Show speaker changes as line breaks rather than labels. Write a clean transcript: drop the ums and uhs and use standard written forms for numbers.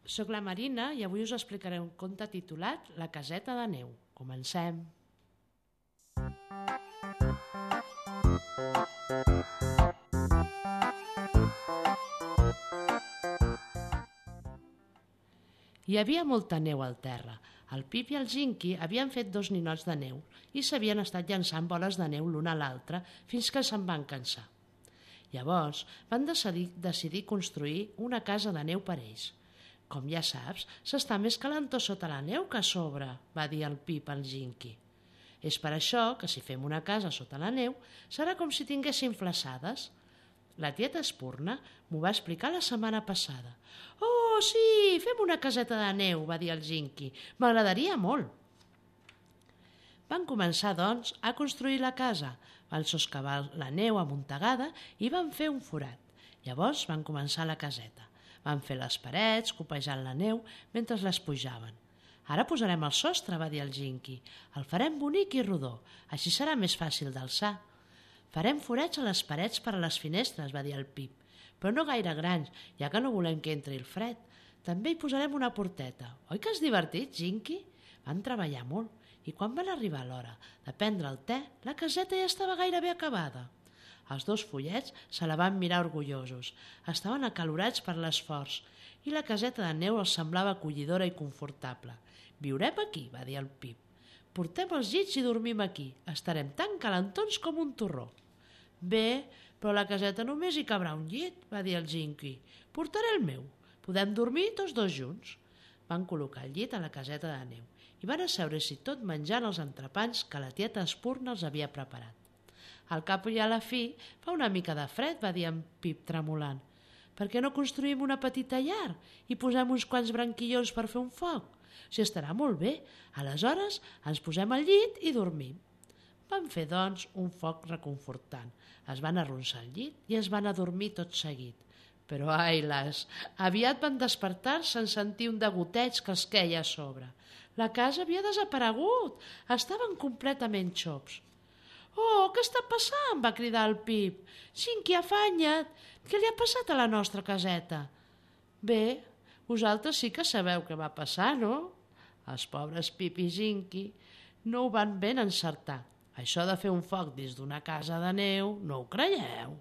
Soc la Marina i avui us explicaré un conte titulat La caseta de neu. Comencem. Hi havia molta neu al terra. El Pip i el Ginky havien fet 2 ninots de neu i s'havien estat llançant boles de neu l'una a l'altra fins que se'n van cansar. Llavors van decidir construir una casa de neu per ells. «Com ja saps, s'està més calentó sota la neu que a sobre», va dir el Pip al Ginky. «És per això que si fem una casa sota la neu serà com si tinguéssim flassades. La tieta Espurna m'ho va explicar la setmana passada». «Oh, sí, fem una caseta de neu», va dir el Ginky. «M'agradaria molt». Van començar, doncs, a construir la casa. Van soscavar la neu amuntegada i van fer un forat. Llavors van començar la caseta. Van fer les parets, copejant la neu, mentre les pujaven. «Ara posarem el sostre», va dir el Ginky. «El farem bonic i rodó, així serà més fàcil d'alçar». «Farem forats a les parets per a les finestres», va dir el Pip, «però no gaire grans, ja que no volem que entri el fred. També hi posarem una porteta. Oi que és divertit, Ginky?» Van treballar molt i quan van arribar a l'hora de prendre el te, la caseta ja estava gairebé acabada. Els 2 follets se la van mirar orgullosos. Estaven acalorats per l'esforç i la caseta de neu els semblava acollidora i confortable. «Viurem aquí», va dir el Pip. «Portem els llits i dormim aquí. Estarem tan calentons com un torró». «Bé, però a la caseta només hi cabrà un llit», va dir el Ginky. «Portaré el meu. Podem dormir tots 2 junts». Van col·locar el llit a la caseta de neu i van asseure-s'hi tot menjant els entrepans que la tieta Espurna els havia preparat. «Al cap i a la fi fa una mica de fred», va dir en Pip tremolant. «Per què no construïm una petita llar i posem uns quants branquillons per fer un foc? Si estarà molt bé, aleshores ens posem al llit i dormim». Van fer, doncs, un foc reconfortant. Es van arronsar al llit i es van adormir tot seguit. Però, ai las, aviat van despertar-se en sentir un degoteig que els queia a sobre. La casa havia desaparegut, estaven completament xops. «Oh, què està passant?», va cridar el Pip. «Ginky, afanya't! Què li ha passat a la nostra caseta?» «Bé, vosaltres sí que sabeu què va passar, no?» Els pobres Pip i Ginky no ho van ben encertar. Això de fer un foc dins d'una casa de neu, no ho creieu?